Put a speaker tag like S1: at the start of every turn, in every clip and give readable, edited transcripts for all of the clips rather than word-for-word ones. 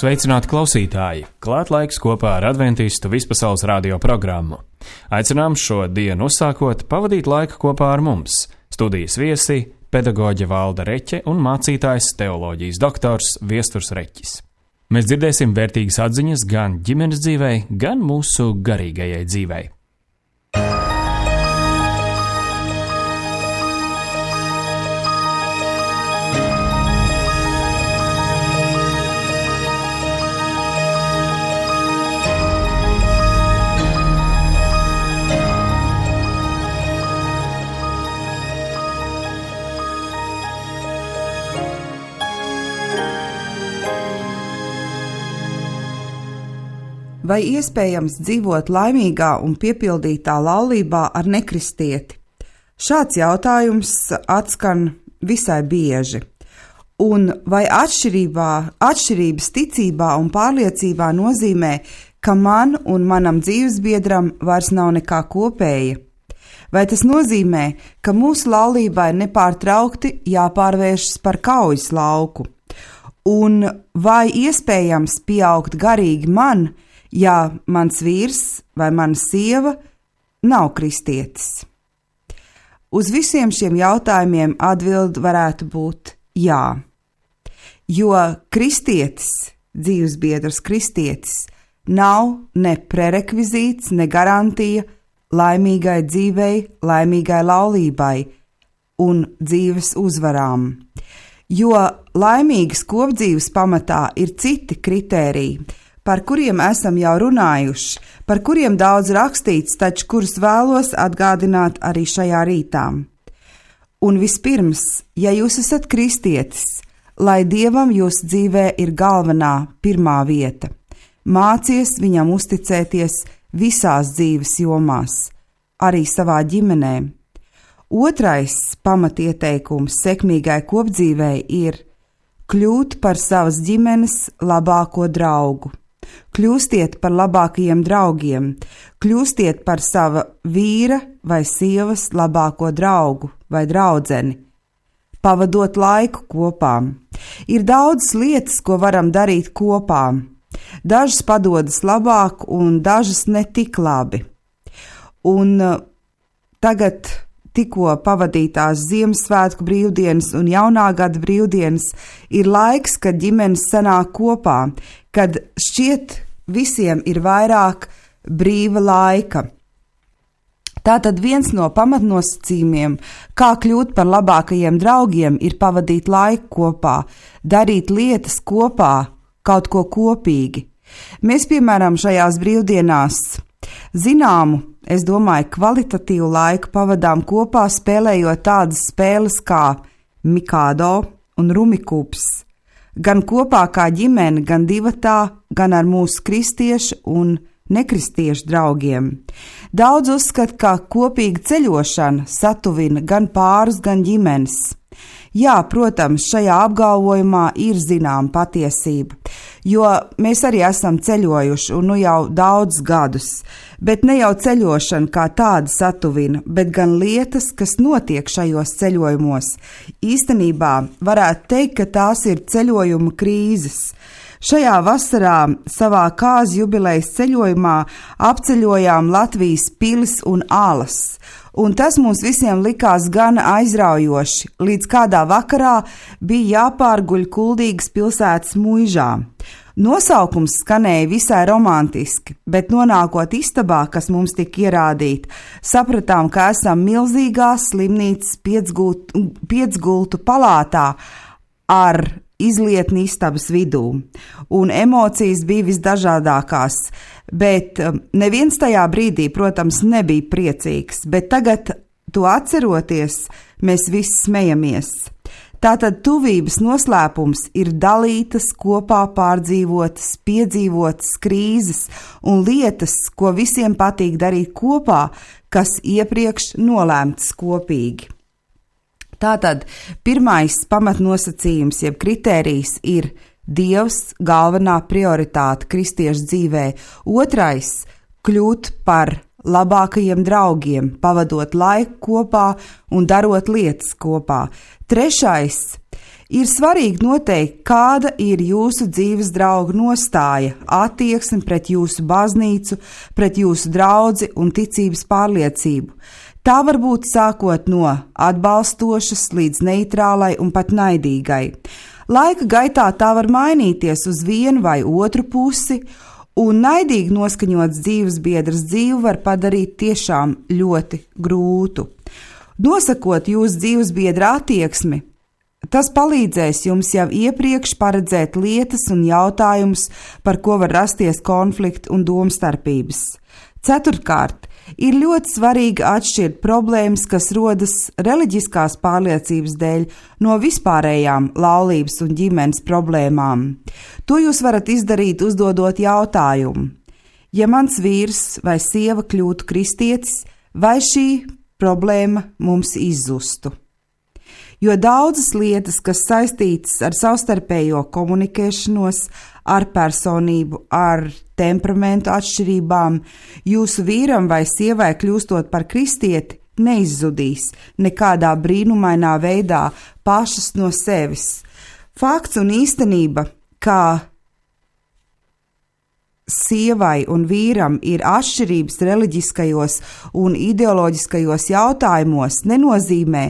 S1: Sveicināti klausītāji! Klāt laiks kopā ar Adventistu vispasaules radio programmu. Aicinām šo dienu uzsākot pavadīt laiku kopā ar mums. Studijas viesi – pedagoģe Valda Reķe un mācītājs teoloģijas doktors Viesturs Reķis. Mēs dzirdēsim vērtīgas atziņas gan ģimenes dzīvei, gan mūsu garīgajai dzīvei.
S2: Vai iespējams dzīvot laimīgā un piepildītā laulībā ar nekristieti? Šāds jautājums atskan visai bieži. Un vai atšķirības ticībā un pārliecībā nozīmē, ka man un manam dzīvesbiedram vairs nav nekā kopēja? Vai tas nozīmē, ka mūsu laulībai nepārtraukti jāpārvēršas par kaujas lauku? Un vai iespējams pieaugt garīgi man, ja mans vīrs vai mana sieva nav kristietis? Uz visiem šiem jautājumiem atbilde varētu būt jā. Jo kristietis, dzīvesbiedrs kristietis, nav ne prerekvizīts, ne garantija laimīgai dzīvei, laimīgai laulībai un dzīves uzvarām. Jo laimīgas kopdzīves pamatā ir citi kritēriji, par kuriem esam jau runājuši, par kuriem daudz rakstīts, taču kurus vēlos atgādināt arī šajā rītā. Un vispirms, ja jūs esat kristietis, lai Dievam jūsu dzīvē ir galvenā, pirmā vieta, mācies viņam uzticēties visās dzīves jomās, arī savā ģimenē. Otrais pamatieteikums sekmīgai kopdzīvei ir kļūt par savas ģimenes labāko draugu. Kļūstiet par labākajiem draugiem, kļūstiet par sava vīra vai sievas labāko draugu vai draudzeni, pavadot laiku kopā. Ir daudzas lietas, ko varam darīt kopā. Dažas padodas labāk un dažas ne tik labi. Un tagad tikko pavadītās Ziemassvētku brīvdienas un jaunā gada brīvdienas ir laiks, kad ģimenes sanāk kopā, kad šķiet visiem ir vairāk brīva laika. Tātad viens no pamatnosacījumiem, kā kļūt par labākajiem draugiem, ir pavadīt laiku kopā, darīt lietas kopā, kaut ko kopīgi. Mēs, piemēram, šajās brīvdienās zināmu, es domāju, kvalitatīvu laiku pavadām kopā, spēlējot tādas spēles kā Mikado un Rumikūps. Gan kopā kā ģimene, gan divatā, gan ar mūsu kristiešu un nekristiešu draugiem. Daudz uzskata, ka kopīga ceļošana satuvina gan pārus, gan ģimenes. Jā, protams, šajā apgalvojumā ir zināma patiesība, jo mēs arī esam ceļojuši un jau daudzus gadus, bet ne jau ceļošana kā tāda satuvina, bet gan lietas, kas notiek šajos ceļojumos. Īstenībā varētu teikt, ka tās ir ceļojuma krīzes. Šajā vasarā savā kāzu jubilejas ceļojumā apceļojām Latvijas pilis un alas, un tas mums visiem likās gana aizraujoši, līdz kādā vakarā bija jāpārguļ Kuldīgas pilsētas muižā. Nosaukums skanēja visai romantiski, bet nonākot istabā, kas mums tika ierādīta, sapratām, ka esam milzīgā slimnīcas piecgultu palātā ar izlietni istabas vidū, un emocijas bija visdažādākās, bet neviens tajā brīdī, protams, nebija priecīgs, bet tagad, to atceroties, mēs visi smejamies. Tātad tuvības noslēpums ir dalītas, kopā pārdzīvotas, piedzīvotas krīzes un lietas, ko visiem patīk darīt kopā, kas iepriekš nolēmtas kopīgi. Tātad pirmais pamatnosacījums, jeb kritērijs ir Dievs galvenā prioritāte kristiešu dzīvē. Otrais – kļūt par labākajiem draugiem, pavadot laiku kopā un darot lietas kopā. Trešais Ir svarīgi noteikt, kāda ir jūsu dzīves drauga nostāja, attieksme pret jūsu baznīcu, pret jūsu draudzi un ticības pārliecību. Tā var būt sākot no atbalstošas līdz neitrālai un pat naidīgai. Laika gaitā tā var mainīties uz vienu vai otru pusi, un naidīgi noskaņots dzīvesbiedrs dzīvi var padarīt tiešām ļoti grūtu. Nosakot jūsu dzīvesbiedra attieksmi, tas palīdzēs jums jau iepriekš paredzēt lietas un jautājumus, par ko var rasties konflikti un domstarpības. Ceturtkārt, ir ļoti svarīgi atšķirt problēmas, kas rodas reliģiskās pārliecības dēļ, no vispārējām laulības un ģimenes problēmām. To jūs varat izdarīt, uzdodot jautājumu: ja mans vīrs vai sieva kļūtu kristietis, vai šī problēma mums izzustu? Jo daudzas lietas, kas saistītas ar savstarpējo komunikēšanos, ar personību, ar temperamentu atšķirībām, jūsu vīram vai sievai kļūstot par kristieti, neizzudīs nekādā brīnumainā veidā pašas no sevis. Fakts un īstenība, kā sievai un vīram ir atšķirības reliģiskajos un ideoloģiskajos jautājumos, nenozīmē,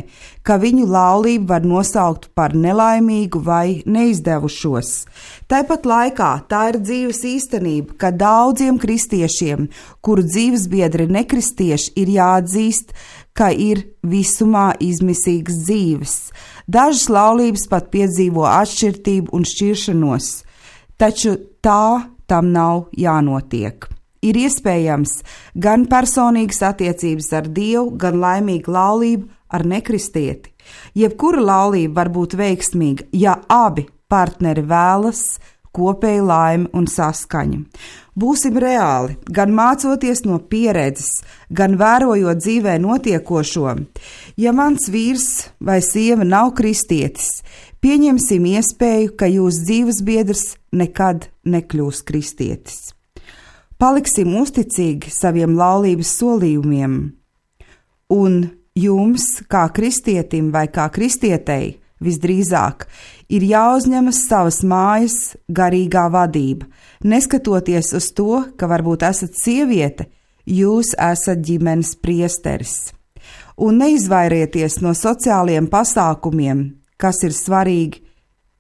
S2: ka viņu laulību var nosaukt par nelaimīgu vai neizdevušos. Tāpat laikā tā ir dzīves īstenība, ka daudziem kristiešiem, kuru dzīvesbiedri ir nekristieši, ir jāatzīst, ka ir visumā izmisīgas dzīves. Dažas laulības pat piedzīvo atšķirtību un šķiršanos, taču tam nav jānotiek. Ir iespējams gan personīgas attiecības ar Dievu, gan laimīga laulība ar nekristieti. Jebkura laulība var būt veiksmīga, ja abi partneri vēlas kopēju laimi un saskaņu. Būsim reāli, gan mācoties no pieredzes, gan vērojot dzīvē notiekošo. Ja mans vīrs vai sieva nav kristietis, pieņemsim iespēju, ka jūsu dzīvesbiedrs nekad nekļūs kristietis. Paliksim uzticīgi saviem laulības solījumiem, un jums, kā kristietim vai kā kristietei, visdrīzāk, ir jāuzņemas savas mājas garīgā vadība. Neskatoties uz to, ka varbūt esat sieviete, jūs esat ģimenes priesteris. Un neizvairieties no sociāliem pasākumiem, kas ir svarīgi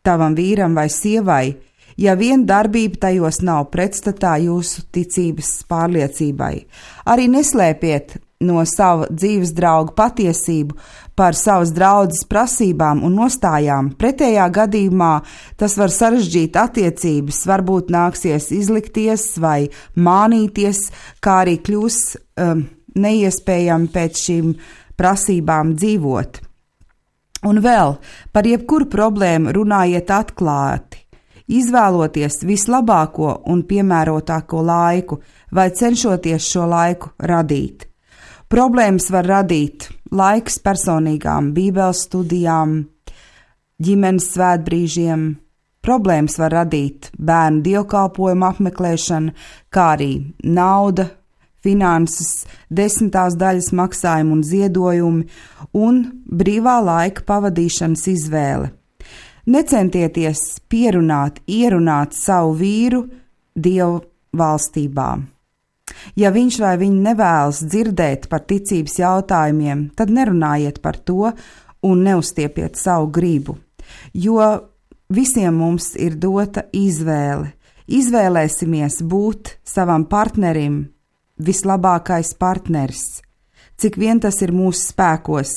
S2: tavam vīram vai sievai, ja vien darbība tajos nav pretstatā jūsu ticības pārliecībai. Arī neslēpiet no sava dzīves drauga patiesību par savas draudzes prasībām un nostājām. Pretējā gadījumā tas var sarežģīt attiecības, varbūt nāksies izlikties vai mānīties, kā arī kļūs neiespējami pēc šīm prasībām dzīvot. Un vēl par jebkuru problēmu runājiet atklāti, izvēloties vislabāko un piemērotāko laiku vai cenšoties šo laiku radīt. Problēmas var radīt laiks personīgām bībeles studijām, ģimenes svētbrīžiem. Problēmas var radīt bērnu dievkalpojumu apmeklēšana, kā arī nauda, finanses, 10. daļas maksājumi un ziedojumi un brīvā laika pavadīšanas izvēle. Necentieties ierunāt savu vīru Dievu valstībā. Ja viņš vai viņa nevēlas dzirdēt par ticības jautājumiem, tad nerunājiet par to un neuzstiepiet savu gribu, jo visiem mums ir dota izvēle. Izvēlēsimies būt savam partnerim vislabākais partneris, cik vien tas ir mūsu spēkos,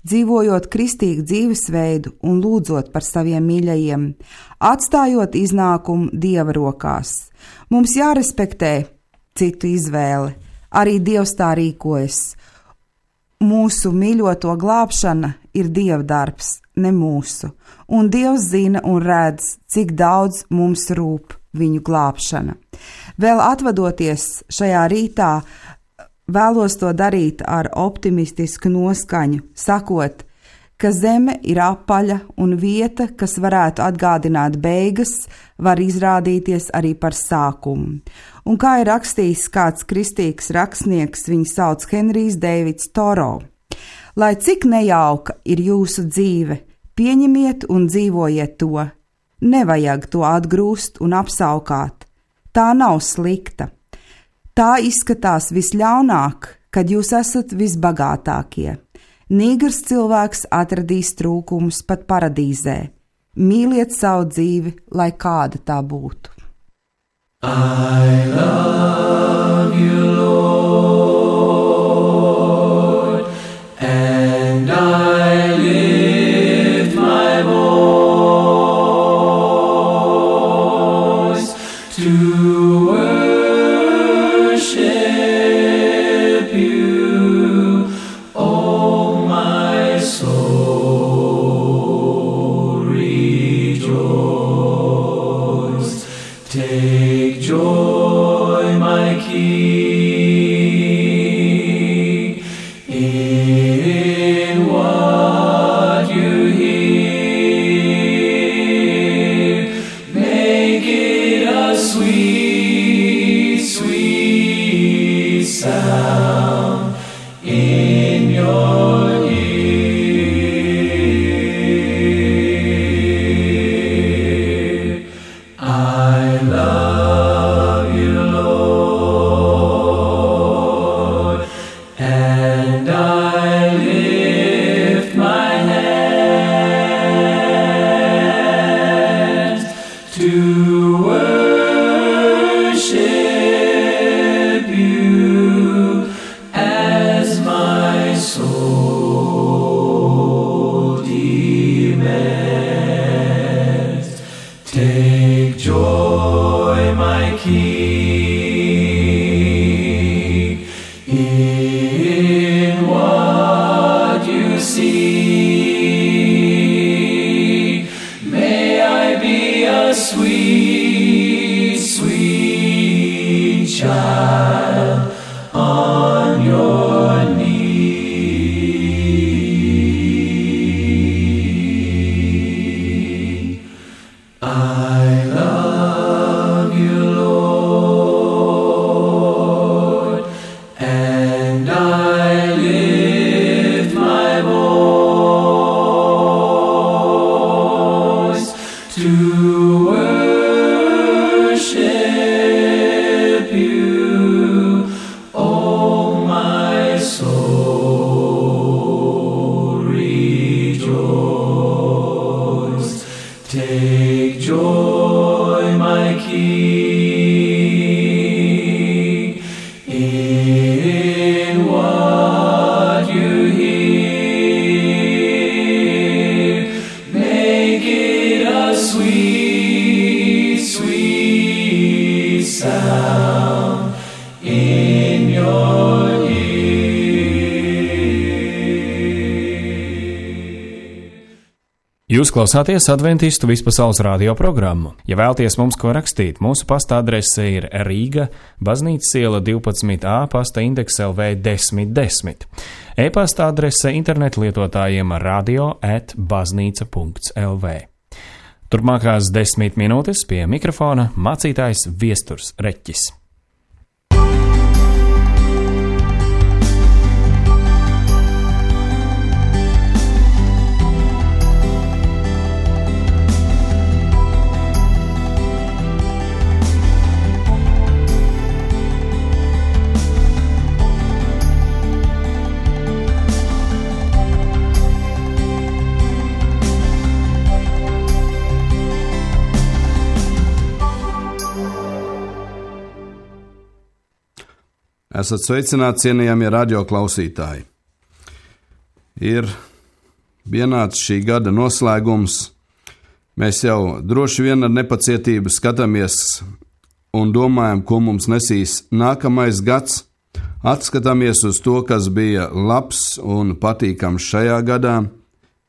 S2: dzīvojot kristīgu dzīvesveidu un lūdzot par saviem mīļajiem, atstājot iznākumu Dieva rokās. Mums jārespektē citu izvēle, arī Dievs tā rīkojas. Mūsu mīļoto glābšana ir Dieva darbs, ne mūsu, un Dievs zina un redz, cik daudz mums rūp viņu glābšana. Vēl atvadoties šajā rītā, vēlos to darīt ar optimistisku noskaņu, sakot, ka zeme ir apaļa un vieta, kas varētu atgādināt beigas, var izrādīties arī par sākumu. Un kā ir rakstījis kāds kristīgs rakstnieks, viņu sauc Henrijs Deivids Toro: lai cik nejauka ir jūsu dzīve, Pieņemiet un dzīvojiet to. Nevajag to atgrūst un apsaukāt. Tā nav slikta. Tā izskatās visļaunāk, kad jūs esat visbagātākie. Nīgrs cilvēks atradīs trūkumus pat paradīzē. Mīliet savu dzīvi, lai kāda tā būtu.
S3: I love you, Lord, and I lift my voice to worship you, oh my soul, rejoice. Take joy, my King, in what you hear. Make it a sweet, sweet sound in your ear. I love you, Lord, and I lift my hands to worship you as my soul demands. Take joy, my King, in what you see. May I be a sweet, sweet child on your knee. I love you, Lord, and I lift my voice to worship you, oh my soul, rejoice. Take joy, my King, in what you hear. Make it a sweet, sweet sound in your ear.
S1: Jūs klausāties Adventistu vispasaules radio programmu. Ja vēlties mums ko rakstīt, mūsu pasta adrese ir Rīga, Baznīcas iela 12A, pasta indeks LV 1010. E-pasta adrese internetu lietotājiem radio@baznīca.lv. Turpmākās 10 minūtes pie mikrofona mācītājs Viesturs Reķis.
S4: Esat sveicināti, cienījamie radioklausītāji. Ir pienācis šī gada noslēgums. Mēs jau droši vien ar nepacietību skatāmies un domājam, ko mums nesīs nākamais gads. Atskatāmies uz to, kas bija labs un patīkams šajā gadā,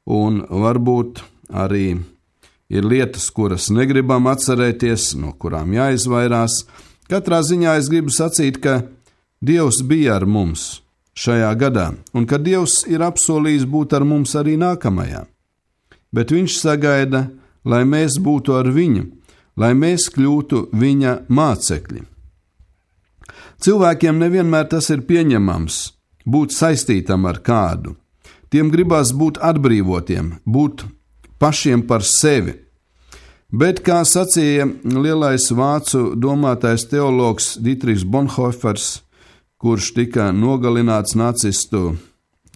S4: un varbūt arī ir lietas, kuras negribam atcerēties, no kurām jāizvairās. Katrā ziņā es gribu sacīt, ka Dievs bija ar mums šajā gadā, un ka Dievs ir apsolījis būt ar mums arī nākamajā. Bet Viņš sagaida, lai mēs būtu ar Viņu, lai mēs kļūtu Viņa mācekļi. Cilvēkiem nevienmēr tas ir pieņemams, būt saistītam ar kādu. Tiem gribās būt atbrīvotiem, būt pašiem par sevi. Bet, kā sacīja lielais vācu domātais teologs Dietrichs Bonhoeffers, kurš tika nogalināts nacistu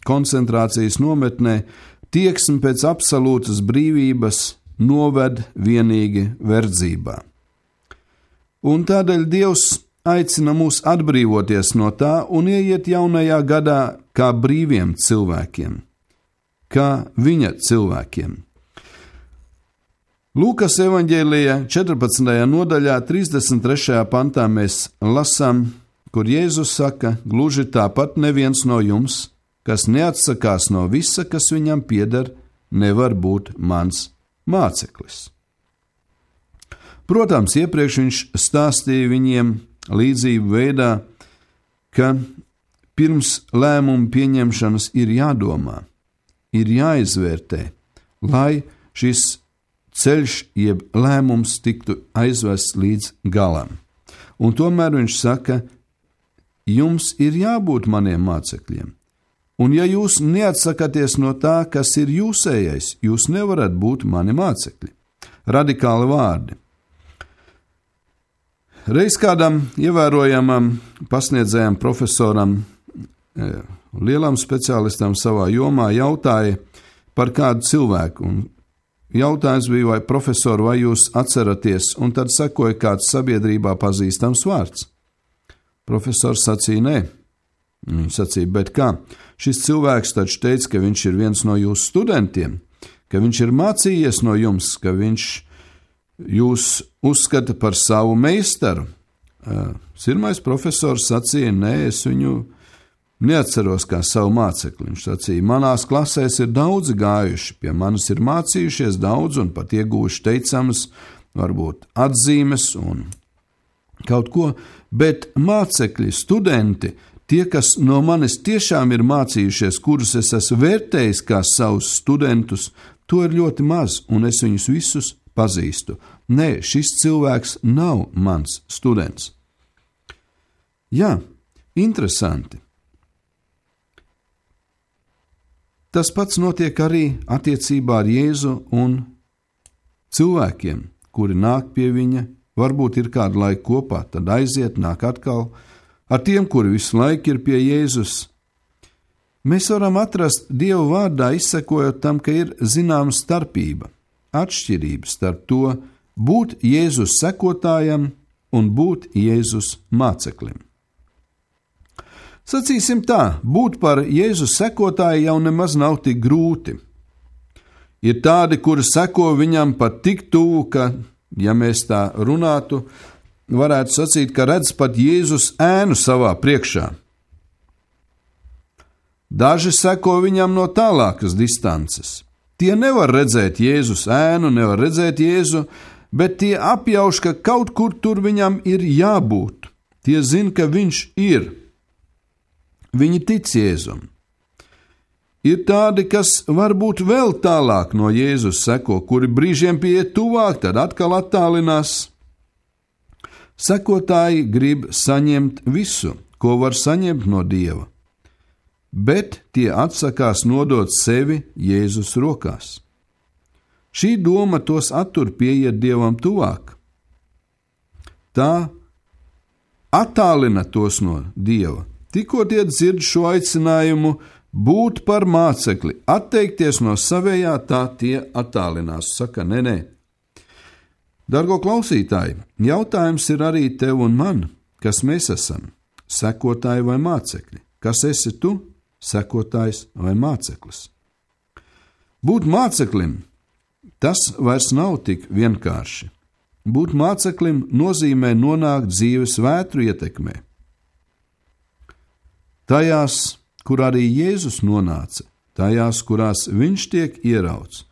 S4: koncentrācijas nometnē, tieksme pēc absolūtas brīvības noved vienīgi verdzībā. Un tādēļ Dievs aicina mūs atbrīvoties no tā un ieiet jaunajā gadā kā brīviem cilvēkiem, kā viņa cilvēkiem. Lūkas evaņģēlijā 14. nodaļā 33. pantā mēs lasām, kur Jēzus saka, gluži tāpat neviens no jums, kas neatsakās no visa, kas viņam pieder, nevar būt mans māceklis. Protams, iepriekš viņš stāstīja viņiem līdzību veidā, ka pirms lēmumu pieņemšanas ir jādomā, ir jāizvērtē, lai šis ceļš jeb lēmums tiktu aizvests līdz galam. Un tomēr viņš saka, jums ir jābūt maniem mācekļiem. Un ja jūs neatsakaties no tā, kas ir jūsējais, jūs nevarat būt mani mācekļi. Radikāli vārdi. Reiz kādam ievērojamam pasniedzējam profesoram, lielam speciālistam savā jomā jautāja par kādu cilvēku. Un jautājums bija, vai profesori, vai jūs atceraties, un tad sekoja kāds sabiedrībā pazīstams vārds. Profesors sacīja, nē. Viņš sacīja, bet kā? Šis cilvēks taču teica, ka viņš ir viens no jūsu studentiem, ka viņš ir mācījies no jums, ka viņš jūs uzskata par savu meistaru. Sirmais profesors sacīja, nē, es viņu neatceros kā savu mācekli. Viņš sacīja, manās klasēs ir daudzi gājuši, pie manis ir mācījušies daudz un pat ieguvuši teicamas, varbūt atzīmes un kaut ko, bet mācekļi, studenti, tie, kas no manis tiešām ir mācījušies, kurus es esmu vērtējis kā savus studentus, to ir ļoti maz, un es viņus visus pazīstu. Nē, šis cilvēks nav mans students. Jā, interesanti. Tas pats notiek arī attiecībā ar Jēzu un cilvēkiem, kuri nāk pie viņa, varbūt ir kādu laiku kopā, tad aiziet, nāk atkal. Ar tiem, kuri visu laiku ir pie Jēzus, mēs varam atrast Dieva vārdā, izsekojot tam, ka ir zināma starpība, atšķirība starp to būt Jēzus sekotājam un būt Jēzus māceklim. Sacīsim tā, būt par Jēzus sekotāju jau nemaz nav tik grūti. Ir tādi, kuri seko viņam pat tik tuvu, ka, ja mēs tā runātu, varētu sacīt, ka redz pat Jēzus ēnu savā priekšā. Daži seko viņam no tālākas distances. Tie nevar redzēt Jēzus ēnu, nevar redzēt Jēzu, bet tie apjauš, ka kaut kur tur viņam ir jābūt. Tie zina, ka viņš ir. Viņi tic Jēzum. Ir tādi, kas varbūt vēl tālāk no Jēzus seko, kuri brīžiem pieiet tuvāk, tad atkal attālinās. Sekotāji grib saņemt visu, ko var saņemt no Dieva, bet tie atsakās nodot sevi Jēzus rokās. Šī doma tos attur pieiet Dievam tuvāk. Tā attālina tos no Dieva. Tikko tie dzird šo aicinājumu būt par mācekli, atteikties no savējā, tā tie attālinās. Saka, nē. Dargo klausītāji, jautājums ir arī tev un man, kas mēs esam, sekotāji vai mācekļi. Kas esi tu, sekotājs vai māceklis? Būt māceklim, tas vairs nav tik vienkārši. Būt māceklim nozīmē nonākt dzīves vētru ietekmē. Tajās, kur arī Jēzus nonāca, tajās, kurās viņš tiek ierauts,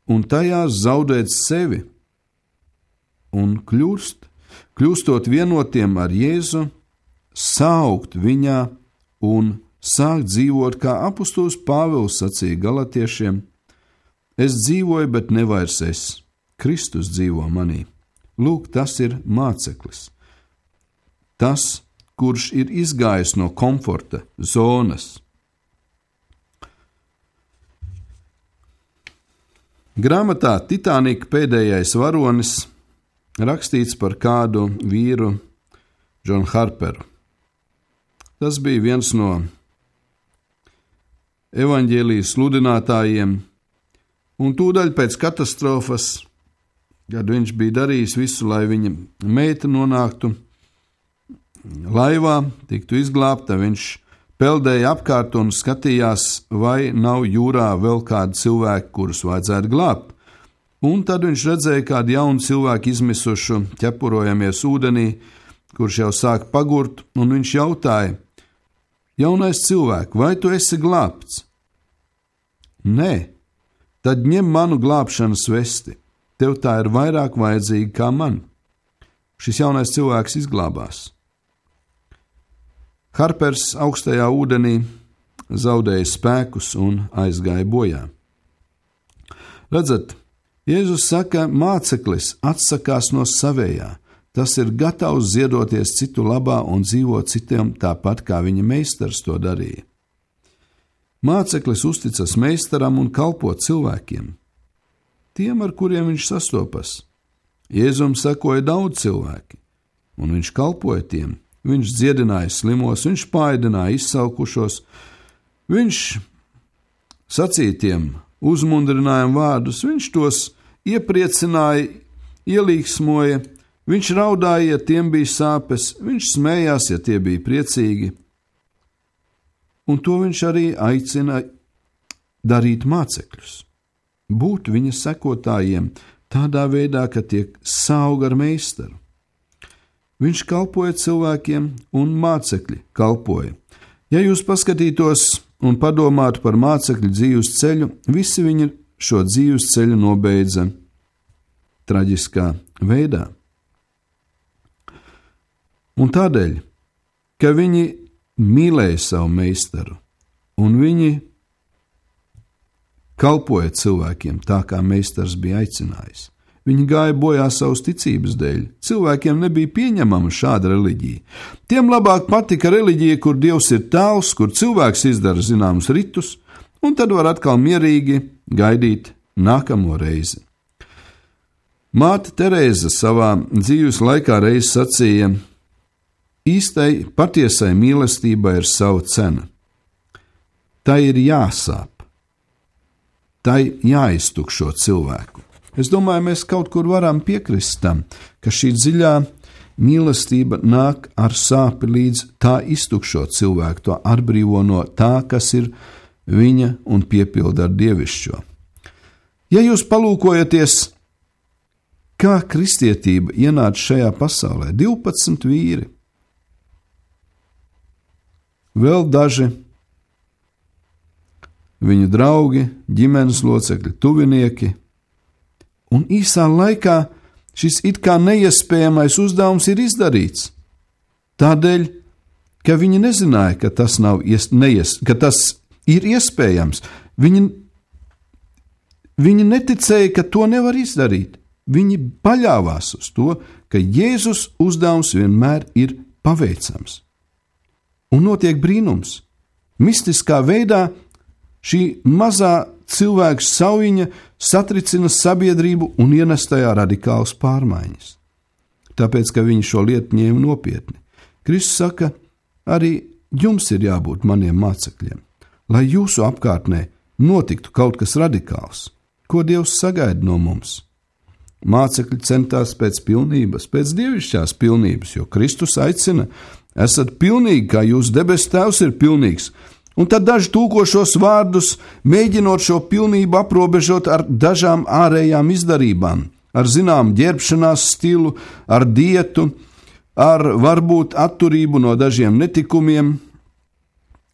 S4: un tajās zaudēt sevi un kļūstot vienotiem ar Jēzu, saukt viņā un sākt dzīvot, kā apustulis Pāvils sacīja galatiešiem, es dzīvoju, bet ne vairs es, Kristus dzīvo manī. Lūk, tas ir māceklis. Tas, kurš ir izgājis no komforta zonas. Grāmatā Titanika pēdējais varonis rakstīts par kādu vīru, Johnu Harperu. Tas bija viens no evaņģēlijas sludinātājiem, un tūdaļ pēc katastrofas, kad viņš bija darījis visu, lai viņa meita nonāktu laivā, tiktu izglābta, viņš peldēja apkārt un skatījās, vai nav jūrā vēl kādi cilvēki, kurus vajadzētu glābt. Un tad viņš redzēja kādu jaunu cilvēku izmisušu, ķepurojamies ūdenī, kurš jau sāk pagurt, un viņš jautāja: jaunais cilvēks, vai tu esi glābts? Nē, tad ņem manu glābšanas vesti, tev tā ir vairāk vajadzīga kā man. Šis jaunais cilvēks izglābās. Harpers augstajā ūdenī zaudēja spēkus un aizgāja bojā. Redzat, Jēzus saka, māceklis atsakās no savējā. Tas ir gatavs ziedoties citu labā un dzīvot citiem tāpat, kā viņa meistars to darīja. Māceklis uzticas meistaram un kalpo cilvēkiem, tiem, ar kuriem viņš sastopas. Jēzum sekoja daudz cilvēki, un viņš kalpoja tiem. Viņš dziedināja slimos, viņš paēdināja izsalkušos, viņš sacīja tiem uzmundrinājumu vārdus, viņš tos iepriecināja, ielīgsmoja, viņš raudāja, ja tiem bija sāpes, viņš smējās, ja tie bija priecīgi. Un to viņš arī aicina darīt mācekļus, būt viņa sekotājiem tādā veidā, ka tiek sauga ar meistaru. Viņš kalpoja cilvēkiem, un mācekļi kalpoja. Ja jūs paskatītos un padomātu par mācekļu dzīves ceļu, visi viņi šo dzīves ceļu nobeidza traģiskā veidā. Un tādēļ, ka viņi mīlēja savu meistaru, un viņi kalpoja cilvēkiem tā, kā meistars bija aicinājis. Viņi gāja bojā savas ticības dēļ. Cilvēkiem nebija pieņemama šāda reliģija. Tiem labāk patika reliģija, kur Dievs ir tēls, kur cilvēks izdara zināmus ritus, un tad var atkal mierīgi gaidīt nākamo reizi. Māte Terēza savā dzīves laikā reiz sacīja: īstai, patiesai mīlestībai ir sava cena. Tai ir jāsāp, tai jāiztukšo cilvēku. Es domāju, mēs kaut kur varam piekrist tam, ka šī dziļā mīlestība nāk ar sāpi līdz tā iztukšo cilvēku, to atbrīvo no tā, kas ir viņa un piepilda ar dievišķo. Ja jūs palūkojaties, kā kristietība ienāca šajā pasaulē, 12 vīri, vēl daži viņu draugi, ģimenes locekļi, tuvinieki, un īsā laikā šis it kā neiespējamais uzdevums ir izdarīts. Tādēļ, ka viņi nezināja, ka tas ir iespējams. Viņi neticēja, ka to nevar izdarīt. Viņi paļāvās uz to, ka Jēzus uzdevums vienmēr ir paveicams. Un notiek brīnums. Mistiskā veidā šī mazā cilvēka saujiņa satricina sabiedrību un ienes tajā radikālas pārmaiņas. Tāpēc, ka viņi šo lietu ņēma nopietni. Kristus saka, arī jums ir jābūt maniem mācekļiem, lai jūsu apkārtnē notiktu kaut kas radikāls, ko Dievs sagaida no mums. Mācekļi centās pēc pilnības, pēc dievišķās pilnības, jo Kristus aicina: esat pilnīgi, kā jūsu debesu Tēvs ir pilnīgs. Un tad daži tūko šos vārdus, mēģinot šo pilnību aprobežot ar dažām ārējām izdarībām, ar zināmu ģērbšanās stilu, ar dietu, ar varbūt atturību no dažiem netikumiem.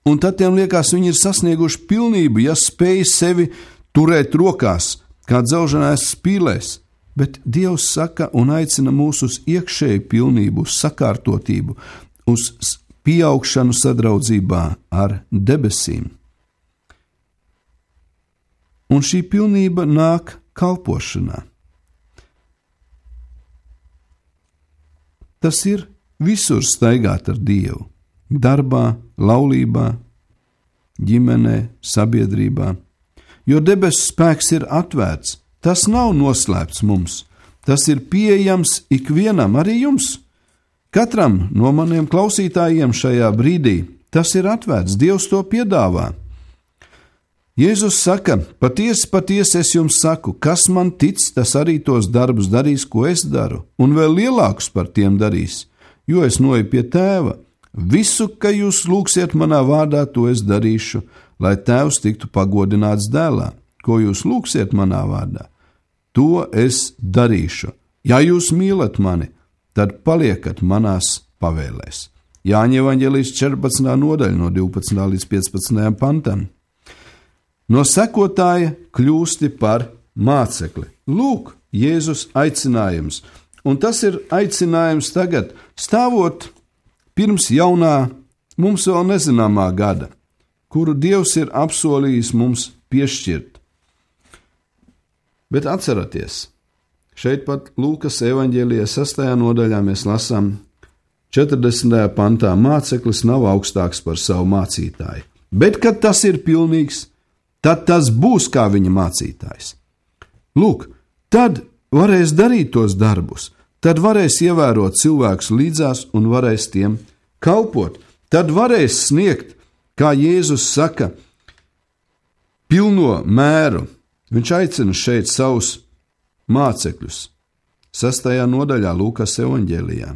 S4: Un tad tiem liekas, viņi ir sasnieguši pilnību, ja spēj sevi turēt rokās, kā dzelženās spīlēs. Bet Dievs saka un aicina mūs uz iekšēju pilnību, uz sakārtotību, uz pieaugšanu sadraudzībā ar debesīm. Un šī pilnība nāk kalpošanā. Tas ir visur staigāt ar Dievu, darbā, laulībā, ģimenē, sabiedrībā, jo debesu spēks ir atvērts, tas nav noslēpts mums. Tas ir pieejams ikvienam, arī jums. Katram no maniem klausītājiem šajā brīdī tas ir atvērts, Dievs to piedāvā. Jēzus saka, patiesi, patiesi es jums saku, kas man tic, tas arī tos darbus darīs, ko es daru, un vēl lielākus par tiem darīs, jo es noeju pie Tēva. Visu, ka jūs lūgsiet manā vārdā, to es darīšu, lai Tēvs tiktu pagodināts dēlā. Ko jūs lūgsiet manā vārdā, to es darīšu. Ja jūs mīlat mani, tad paliekat manās pavēlēs. Jāņa evaņģēlijas 14. nodaļa no 12. līdz 15. pantam. No sekotāja kļūsti par mācekli. Lūk, Jēzus aicinājums. Un tas ir aicinājums tagad, stāvot pirms jaunā, mums vēl nezināmā gada, kuru Dievs ir apsolījis mums piešķirt. Bet atceraties, šeit pat Lūkas evaņģēlijā 6. nodaļā mēs lasām 40. pantā, māceklis nav augstāks par savu mācītāju. Bet, kad tas ir pilnīgs, tad tas būs kā viņa mācītājs. Lūk, tad varēs darīt tos darbus, tad varēs ievērot cilvēkus līdzās un varēs tiem kalpot. Tad varēs sniegt, kā Jēzus saka, pilno mēru. Viņš aicina šeit savus mācekļus. 6. nodaļā Lūkas evaņģēlijā.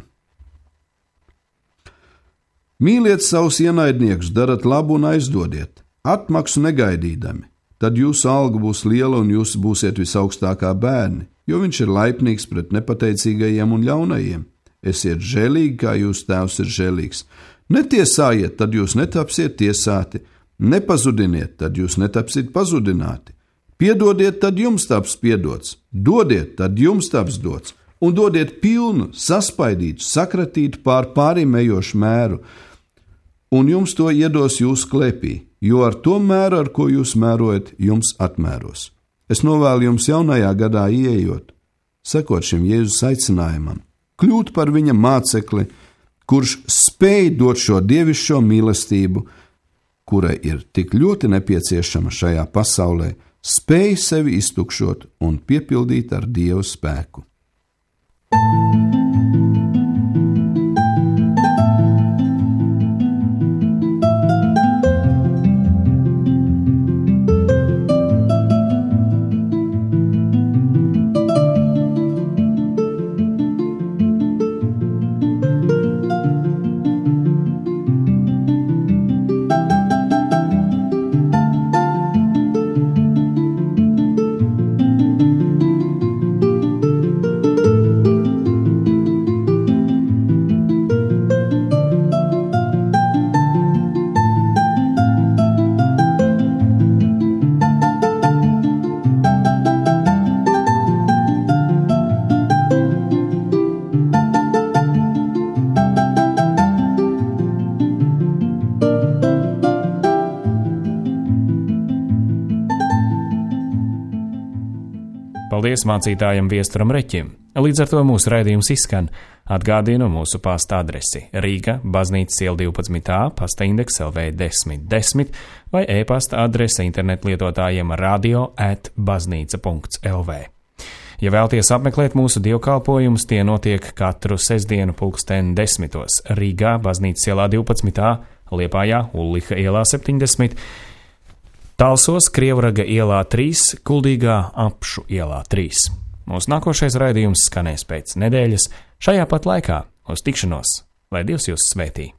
S4: Mīliet savus ienaidniekus, darat labu un aizdodiet, atmaksu negaidīdami, tad jūsu alga būs liela un jūs būsiet visaugstākā bērni, jo viņš ir laipnīgs pret nepateicīgajiem un ļaunajiem. Esiet žēlīgi, kā jūsu tēvs ir žēlīgs. Netiesājiet, tad jūs netapsiet tiesāti, nepazudiniet, tad jūs netapsiet pazudināti. Piedodiet, tad jums taps piedots, dodiet, tad jums taps dots, un dodiet pilnu, saspaidītu, sakratītu pārim ejošu mēru, un jums to iedos jūsu klēpī, jo ar to mēru, ar ko jūs mērojat, jums atmēros. Es novēlu jums jaunajā gadā ieejot, sekot šim Jēzus aicinājumam, kļūt par viņa mācekli, kurš spēj dot šo dievišķo mīlestību, kurai ir tik ļoti nepieciešama šajā pasaulē, spēj sevi iztukšot un piepildīt ar Dieva spēku.
S1: Paldies mācītājam Viesturam Reķim. Līdz ar to mūsu raidījums izskan. Atgādinu mūsu pasta adresi Rīga, Baznīcas iela 12a, pasta indeks LV 1010 vai e-pasta adrese internetlietotājiem radio@baznīca.lv. Ja vēlties apmeklēt mūsu dievkalpojumus, tie notiek katru sestdienu 10:10 Rīgā, Baznīcas ielā 12a, Liepājā, Ulliha ielā 70, Talsos, Krievraga ielā 3, Kuldīgā, Apšu ielā 3. Mūsu nākošais raidījums skanēs pēc nedēļas šajā pat laikā. Uz tikšanos, lai Dievs jūs svētī!